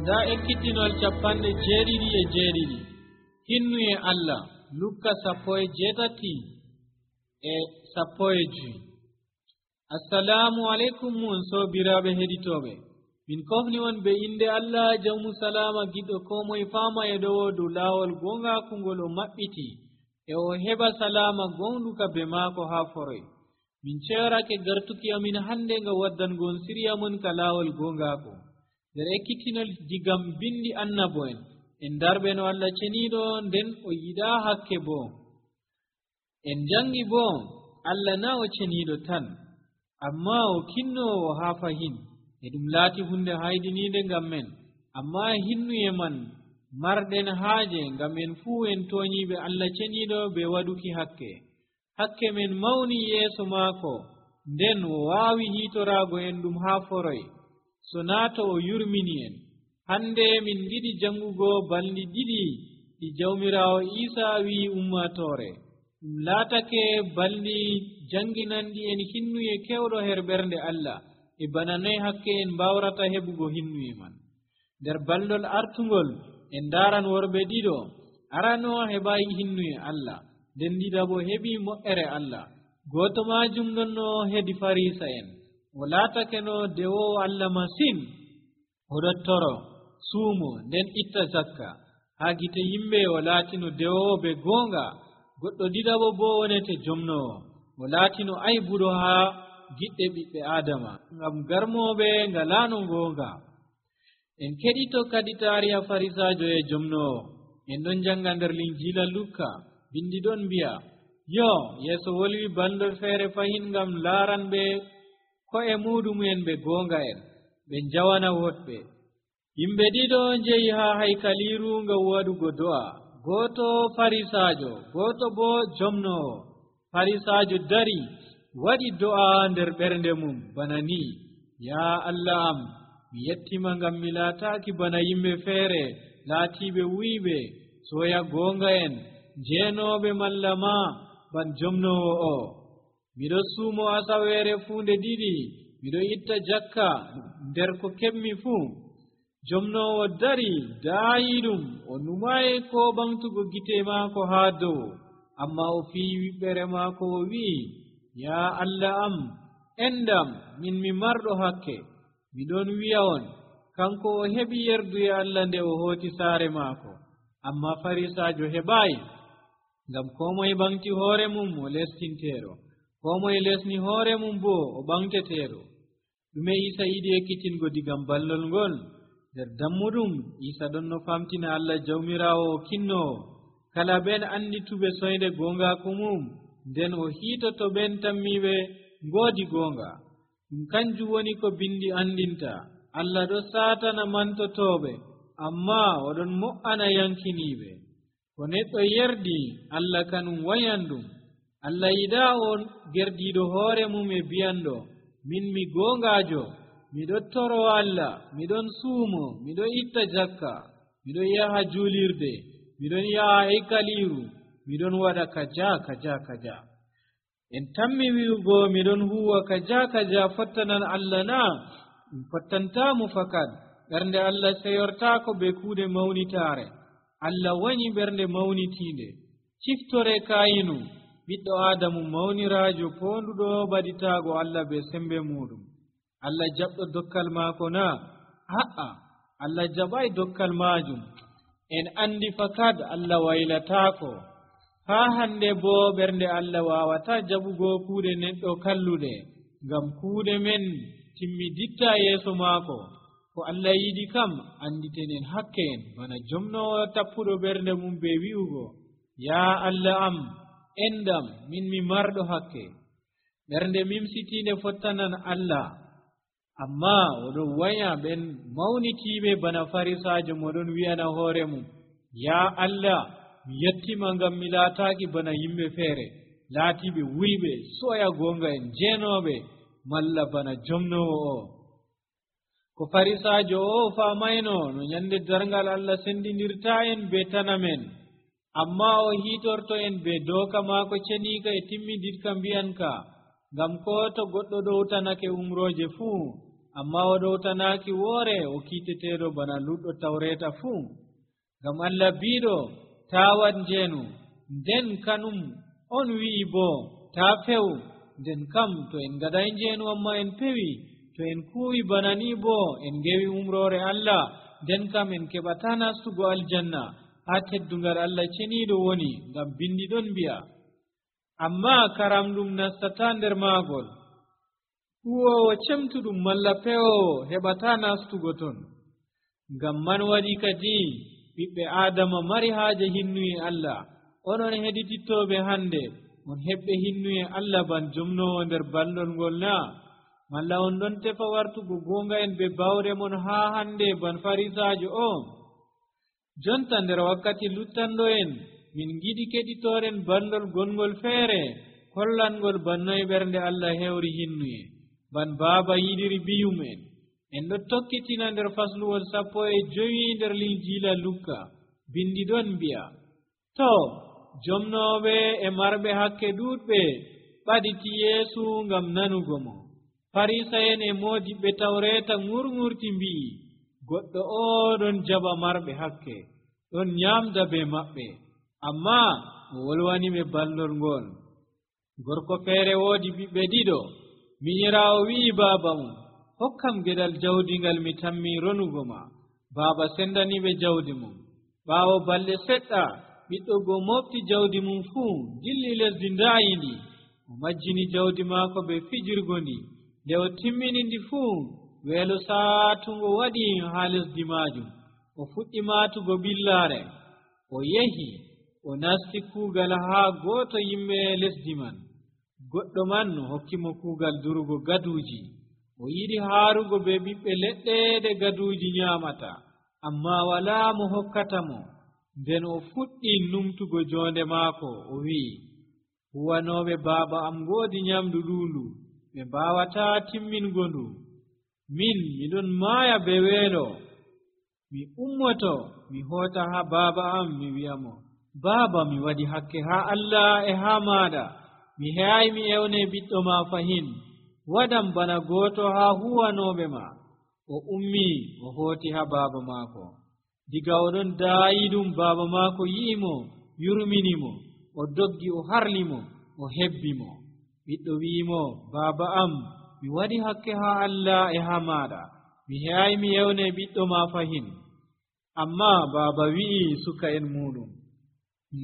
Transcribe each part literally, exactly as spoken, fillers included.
nda ekkitinol capanɗe jeeɗiɗi e jeeɗiɗi hinnu e Allah lukka sappo e jeetati e sappo e joyi. assalamu aleykum mon sobiraɓe heɗitoɓe, min kofni on be inde Allah jawmu salama giɗɗo ko moye fama e ɗowo dow laawol gongakungol o maɓɓiti e o heɓa salama gonɗuka be maako ha foroy. min ceerake gartuki amin hande nga waddangon siriya mon ka laawol gongako nder ekkitinol digam bindi annabo en en darɓe no Allah ceniɗo nden o yiɗa hakke bo. en jangi bo Allah na o ceniɗo tan amma o kinnowo ha fahin e ɗum laati hunde haydinide ngam men, amma hinnuye man marɗen haaje ngam en fuu en toñiɓe Allah ceniɗo be waɗuki hakke. hakke men mawni yeeso maako nden o waawi hiitorago en ɗum ha foroy so naato o yurmini en. hande min giɗi jangugo balɗi ɗiɗi ɗi jawmirawo Isa wi ummatore. ɗum laatake balɗi janginanɗi en hinnuye kewɗo her ɓernde Allah e bana noy hakke en mbawrata heɓugo hinnuye man. nder balɗol artugol en daran worɓe ɗiɗo, arano heɓayi hinnuye Allah nden ɗiɗabo heɓi moƴƴere Allah. goto majum nonno hedi farisa en, o laatake no dewowo Allah masin, o dottoro suumo nden itta zakka ha gite yimɓe. o laatino dewowo be gonga. goɗɗo ɗiɗabo bo wonete jomnowo, o laatino aybuɗo ha giɗɗe ɓiɓɓe adama ngam garmoɓe ngalano gonga. en keɗito kadi tariha farisajo e jomnowo. en ɗon janga nder linjila Lukka, bindi ɗon mbiya yo yeeso wolwi bandol feere fahin ngam laaranɓe ko'e muɗumen ɓe gonga en ɓe jawana woɗɓe. yimɓe ɗiɗo jeyi ha haykaliru ngam waɗugo do'a, goto farisajo goto bo jomnowo. farisajo dari waɗi do'a nder ɓernde mum bana ni: ya Allah am, mi yettima ngam mi laataki bana yimɓe feere laatiɓe wuyɓe soya gonga en jeenoɓe malla ma ban jomnowo o. miɗo suumo asaweere fuu nde ɗiɗi, miɗo itta jakka nder ko keɓmi fuu. jomnowo dari daayi ɗum, o numayi ko ɓamtugo gite maako haa dow, amma o fii wiɓɓere maako o wi'i: ya Allah am, endam, min mi marɗo hakke. miɗon wi'a on, kanko o heɓi yerduye Allah nde o hooti saare maako, amma farisajo heɓayi. ngam ko moye ɓamti hoore mum o lestinteero, ko moye lesni hoore mum bo o ɓamteteero. ɗume Isa yiɗi ekkitingo digam ballol ngol? nder dammuɗum Isa ɗon no famtina Allah jawmirawo o kinnowo kala ɓen andituɓe soyde gongaku mum, nden o hiitoto ɓen tammiɓe ngoodi gonga. ɗum kanjum woni ko bindi andinta: Allah ɗo satana mantotoɓe, amma oɗon mo'ana yankiniɓe. ko neɗɗo yerdi Allah kanum wayandum. Allah yiɗa on gerdiɗo hoore mum e biyanɗo: min mi gongajo, miɗo toro Allah, miɗon suumo, miɗo itta jakka, miɗon yaha julirde, miɗon yaha haykaliru, miɗon waɗa kaja kaja kaja. en tammi wi'ugo miɗon huwa kaja kaja fottanan Allah na? ɗum fottantamo fakat. ɓernde Allah seyortako be kuuɗe mawnitare. Allah wañi ɓernde mawnitinde. ciftore kayinu ɓiɗɗo adamu mawnirajo ponduɗo baɗitago Allah be sembe muɗum. Allah jaɓɗo dokkal maako na? a'a, Allah jaɓai dokkal majum. en andi fakat Allah waylatako. ha hande bo ɓernde Allah wawata jaɓugo kuuɗe neɗɗo kalluɗe, ngam kuuɗe men timmiditta yeeso maako. ko Allah yiɗi kam anditenen hakke en, bana jomnowo tappuɗo ɓernde mum be wi'ugo: ya Allah am, endam, min mi marɗo hakke. ɓernde mimsitinde fottanan Allah, amma oɗon waya ɓen mawnitiɓe bana farisajo moɗon wi'ana hoore mum: ya Allah, mi yettima ngam mi laataki bana yimɓe feere laatiɓe wuyɓe soya gonga en jeenoɓe, malla bana jomnowo o. ko farisajo o famayno no nyande darngal Allah sendinirta en be tana men, amma o hitorto en be doka maako cenika e timmiditka mbiyanka, ngam ko to goɗɗo ɗowtanake umroje fuu amma o ɗowtanaaki woore o kiiteteeɗo bana luɗɗo tawreeta fuu. ngam Allah biiɗo taa waɗ njeenu, nden kanum on wi'i boo taa few. nden kam to en ngaɗay njeenu amma en pewi, to en kuuwi bana nii boo en ngewi umroore Allah, nden kam en keɓataa nastugo aljanna haa teddungal Allah ceniiɗo woni, ngam bindi ɗon mbi'a amma karam ɗum nastataa nder maagol. huwoowo cemtuɗum malla pewoowo heɓataa nastugo ton. ngam man waɗi kadi ɓiɓɓe aadama mari haaje hinnuye Allah. onon heɗitittooɓe hannde on heɓɓe hinnuye Allah ban jomnoowo nder ballol ngol naa? malla on ɗon tefa wartugo goonga en be bawre mon haa hannde ban farisaajo o? jonta nder wakkati luttanɗo'en min giɗi keɗitooren ballol gongol feere hollangol bannoye ɓernde Allah hewri hinnuye, ban baaba yiɗiri biyum'en. en ɗo tokkitina nder fasluwol sappo e jowi nder linjiila Lukka. bindi ɗon mbi'a to jomnooɓe e marɓe hakke ɗuuɗɓe ɓaditi Yeesu ngam nanugo mo. Farisa'en e moodiɓɓe tawreeta ŋurŋurti mbi'i goɗɗo o ɗon jaɓa marɓe hakke, ɗon nyaamda be maɓɓe, amma o wolwani ɓe ballol ngol. gorko feere woodi ɓiɓɓe ɗiɗo. minyiraawo wi'i baaba mum, hokkam geɗal jawdi ngal mi tammi ronugo ma. baaba sendani ɓe jawdi mum. ɓaawo balɗe seɗɗa ɓiɗɗo go mofti jawdi mum fuu dilli lesdi ndaayindi. o majjini jawdi maako be fijirgo ndi. nde o timmini ndi fuu, weelo saatungo waɗi haa lesdi maajum. o fuɗɗi maatugo ɓillaare. o yehi o nasti kuugal haa gooto yimɓe lesdi man. goɗɗo man hokkimo kuugal durugo gaduuji. o yiɗi haarugo be ɓiɓɓe leɗɗe ɗe gaduuji nyaamata, amma walaa mo hokkata mo. nden o fuɗɗi numtugo joonde maako. o wi'i, huwanooɓe baaba am ngoodi nyamdu ɗuundu, ɓe mbaawataa timmingo ndu. min miɗon maaya be weelo. mi ummoto mi hoota haa baaba am mi wi'a mo, baaba, mi waɗi hakke haa Allah e haa maaɗa. mi he'ay mi ewne ɓiɗɗo ma fahin. waɗam bana gooto haa huwanooɓe ma. o ummi o hooti haa baaba maako. diga oɗon daayi ɗum, baaba maako yi'i mo, yurmini mo. o doggi o harli mo, o hebbi mo. ɓiɗɗo wi'i mo, baaba am, mi waɗi hakke haa Allah e haa maaɗa. mi he'ay mi ewne ɓiɗɗo ma fahin. amma baaba wi'i suka en muɗum,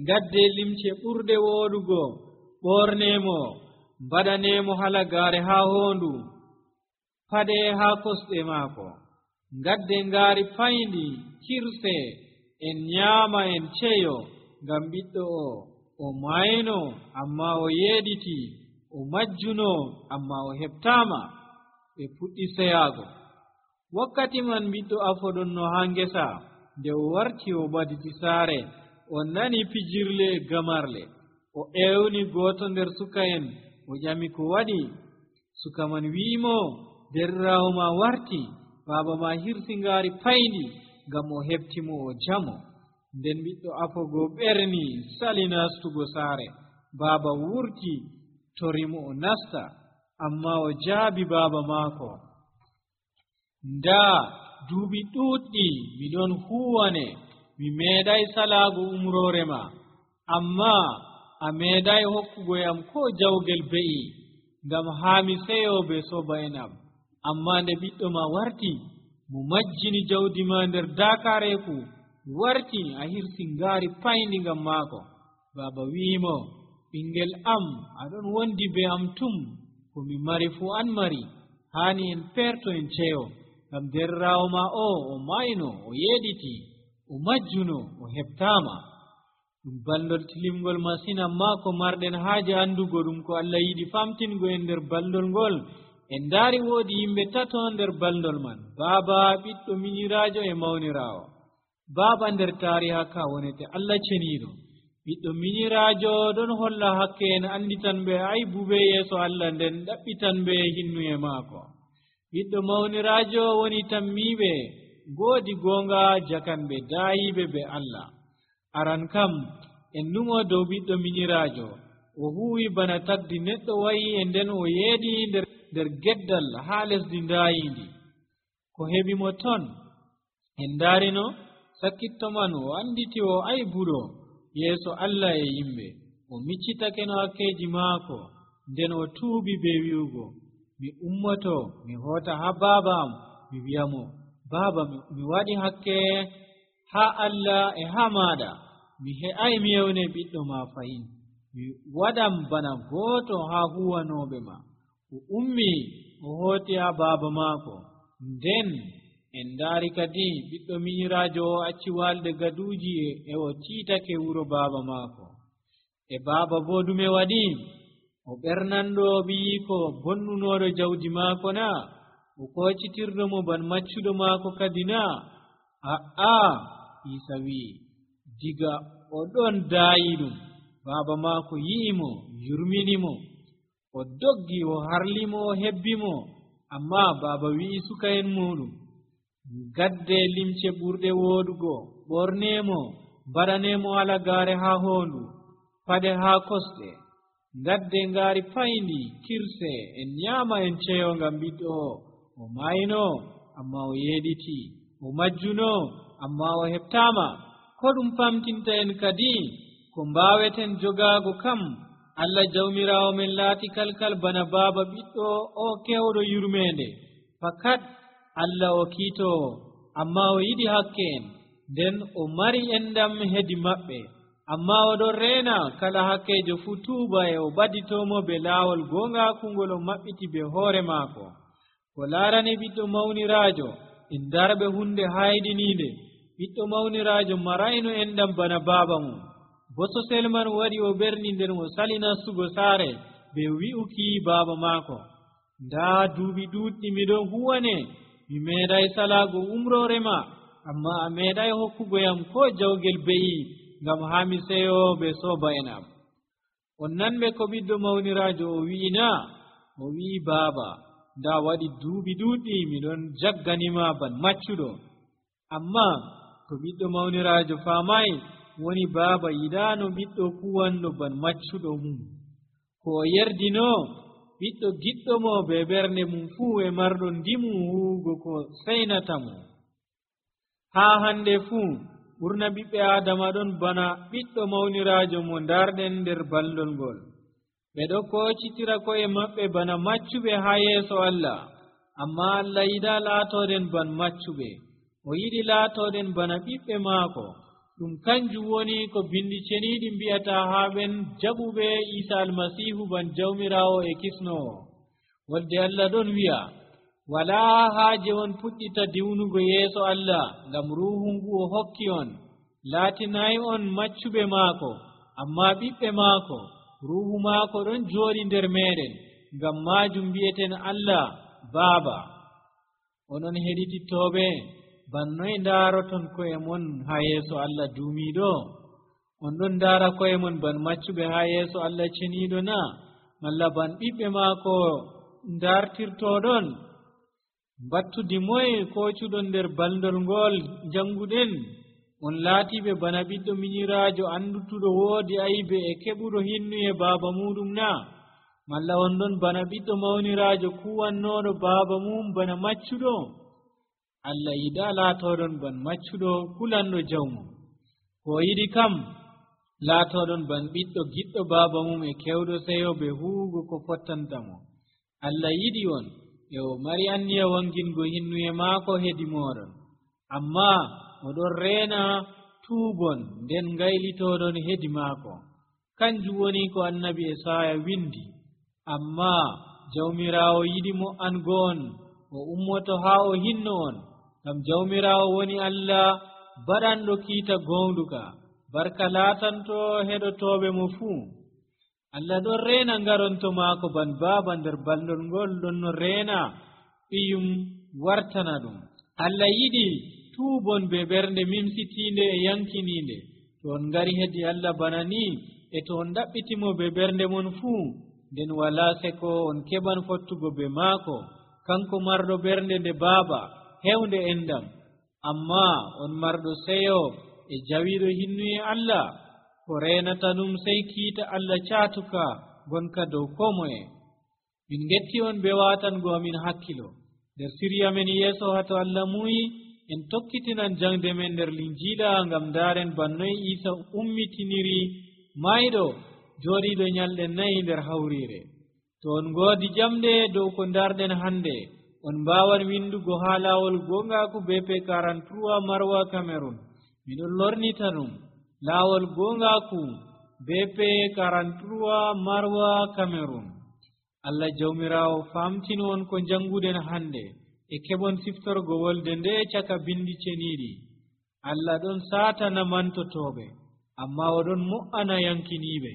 ngadde limce ɓurɗe wooɗugo, ɓornemo, mbaɗanemo halagaare haa hoondu, paɗe haa kosɗe maako. ngadde ngaari payndi kirse, en nyaama en ceyo, ngam ɓiɗɗo o o mayno amma o yeeɗiti, o majjuno amma o heɓtaama. ɓe puɗɗi seyaago. wakkati man ɓiɗɗo afoɗon no haa ngesa. nde o warti o ɓaditi saare, o nani pijirle e gamarle. o ewni gooto nder suka en, o ƴami ko waɗi. suka man wi'imo, derraawo ma warti, baaba ma hirsi ngaari payndi ngam o heɓtimo o jamo. nden ɓiɗɗo afogo ɓerni sali nastugo saare. baaba wurti torimo o nasta, amma o jaabi baaba maako, ndaa duuɓi ɗuuɗɗi miɗon huwane, mi meeɗay salaago umroore ma, amma a meeɗay hokkuguyam ko jawgel be'i, ngam haa mi seyo be sobaen am. amma nde ɓiɗɗo ma warti, mo majjini jawdi ma nder daakareeku, warti a hirsi ngaari payndi ngam maako. baaba wi'imo, ɓingel am, aɗon wondi be am tum. ko mi mari fuu an mari. haani en perto en ceyo, ngam derraawo ma o o mayno, o yeeɗiti, o majjuno, o heɓtaama. ɗum ballol tilimgol masin, amma ko marɗen haaje anndugo ɗum ko Allah yiɗi famtingo en nder ballol ngol. en ndaari woodi yimɓe tato nder ballol man, baaba, ɓiɗɗo minyiraajo e mawniraawo. baaba nder taariha ka wonete Allah ceniiɗo. ɓiɗɗo minyiraajo ɗon holla hakke en anditan ɓe aybu be yeeso Allah, nden ɗaɓɓitan ɓe hinnuye maako. ɓiɗɗo mawniraajo woni tammiiɓe ngoodi goonga jakanɓe daayiɓe be Allah. aran kam en numo dow ɓiɗɗo minyiraajo. o huwi bana tagdi neɗɗo wayi, e nden o yeeɗi nder nder geddal haa lesdi ndaayindi. ko heɓi mo ton en daarino sakkitto man o anditi o ay buɗo yeeso Allah e yimɓe o miccitake no hakkeji maako nden o tuubi be wi'ugo mi ummoto mi hoota ha baaba am mi wi'amo baaba mi waɗi hakke ha Allah e ha maɗa mi he'ai mi yewne ɓiɗɗo ma fayin mi waɗam bana gooto ha huwanoɓe ma o ummi o hooti ha baaba maako nden en daari kadi ɓiɗɗo minyiraajo o acci walde gaduuji e o tiitake wuro baaba maako e baaba bo ɗume waɗi o ɓernanɗo ɓiyiko bonnunoɗo jawdi maako na o kocitirɗo mo ban maccuɗo maako kadi na a'a Isa wi'i diga o ɗon daayi ɗum baaba maako yi'imo yurminimo o doggi o harlimo o hebbimo amma baaba wi'i suka en muɗum gadde limce ɓurɗe woodugo ɓornemo mbaɗanemo alagaare ha hondu paɗe ha kosɗe gadde ngaari payndi kirse en nyama en ceyo ngam ɓiɗɗo o o mayno amma o yeɗiti o majjuno amma o heɓtama ko ɗum famtinta en kadi ko mbaweten jogaago kam Allah jawmirawo men laati kalkal bana baaba ɓiɗɗo o kewɗo yurmende fakat Allah o kiitowo amma o yiɗi hakke en nden o mari endam hedi maɓɓe amma oɗon reena kala hakkejo fuu tuuba e o ɓaditomo be laawol gongaakungol o maɓɓiti be hoore maako ko laarani ɓiɗɗo mawniraajo en darɓe hunde hayɗiniinde ɓiɗɗo mawniraajo marayno endam bana baaba mum bososel man waɗi o ɓerni nden o sali nastugo saare be wi'uki baaba maako ndaa duuɓi ɗuuɗɗi miɗon huwane mi meeɗay salaago umroore ma amma a meeɗay hokkugoyam ko jawgel be'i ngam haa mi seyo be sooba en am on nanɓe ko ɓiɗɗo mawniraajo o wi'ina o wi'i baaba ndaa waɗi duuɓi ɗuuɗɗi miɗon jagganima ban maccuɗo amma ko ɓiɗɗo mawniraajo faamay woni baaba yiɗaano ɓiɗɗo kuwanɗo ban maccuɗo mum ko o yerdino ɓiɗɗo giɗɗo mo be ɓernde mum fuu e marɗo ndimu huwugo ko seynata mo haa hande fuu ɓurna ɓiɓɓe aadama ɗon bana ɓiɗɗo mawniraajo mo darɗen nder ballol ngol ɓe ɗo koocitira ko'e maɓɓe bana maccuɓe haa yeeso Allah amma Allah yiɗaa laatooɗen ban maccuɓe o yiɗi laatooɗen bana ɓiɓɓe maako ɗum kanjum woni ko bindi ceniiɗi mbi'ata haa ɓen jaɓuɓe Iisa almasiihu ban jawmiraawo e kisnoowo wolde Allah ɗon wi'a walaa haaje on puɗɗita diwnugo yeeso Allah ngam ruuhu ngu o hokki on laatinayi on maccuɓe maako amma ɓiɓɓe maako ruuhu maako ɗon jooɗi nder meeɗen ngam maajum mbi'eten Allah baaba onon heɗitittooɓe bannoy ndaaroton ko'e mon haa yeeso Allah duumiiɗo on ɗon ndaara ko'e mon ban maccuɓe haa yeeso Allah ceniiɗo na malla ban ɓiɓɓe maako ndartirtooɗon mbattudi moye koocuɗon nder baldol ngol jannguɗen on laatiɓe bana ɓiɗɗo minyiraajo anndutuɗo woodi aybe e keɓuɗo hinnu e baaba muɗum na malla on ɗon bana ɓiɗɗo mawniraajo kuwannooɗo baaba mum bana maccuɗo Allah yiɗaa laatooɗon ban maccuɗo kulanɗo jawmum ko yiɗi kam laatooɗon ban ɓiɗɗo giɗɗo baaba mum e kewɗo seyo be huwugo ko fottanta mo Allah yiɗi on e o mari anniya wangingo hinnuye maako hedi mooɗon amma oɗon reena tuubon nden ngaylitooɗon hedi maako kanjum woni ko annabi Esaya windi amma jawmiraawo yiɗi mo''ango on o ummoto haa o hinno on ngam jawmiraawo woni Allah baɗanɗo kiita gownduka barka laatanto heɗotooɓe mo fuu Allah ɗon reena ngaronto maako ban baaba nder ballol ngol ɗon no reena ɓiyum wartana ɗum Allah yiɗi tuubon be ɓernde mimsitiinde e yankiniinde to on ngari hedi Allah bana ni e to on ɗaɓɓitimo be ɓernde mon fuu nden walaa seko on keɓan fottugo be maako kanko marɗo ɓernde nde baaba hewnde endam amma on marɗo seyo e jawiɗo hinnuye Allah ko reenata ɗum sey kiita Allah caatuka gonka dow ko moye min getti on be waatango amin hakkilo nder siriya men yeeso hato Allah muyi en tokkitinan jangde men nder linjiila ngam ndaren bannoy Isa ummitiniri mayɗo jooɗiiɗo nyalɗe nayi nder hawriire. to on ngoodi jamɗe dow ko ndarɗen hannde on mbaawan windugo haa laawol goongaaku B P quarante-trois Marwa Cameroun. miɗon lornita ɗum laawol goongaaku B P quarante-trois Marwa Cameroun. Allah jawmiraawo famtino on ko jannguden hannde e keɓon siftorgo wolde nde caka bindi ceniiɗi. Allah ɗon saatana mantotooɓe amma oɗon mo''ana yankiniiɓe.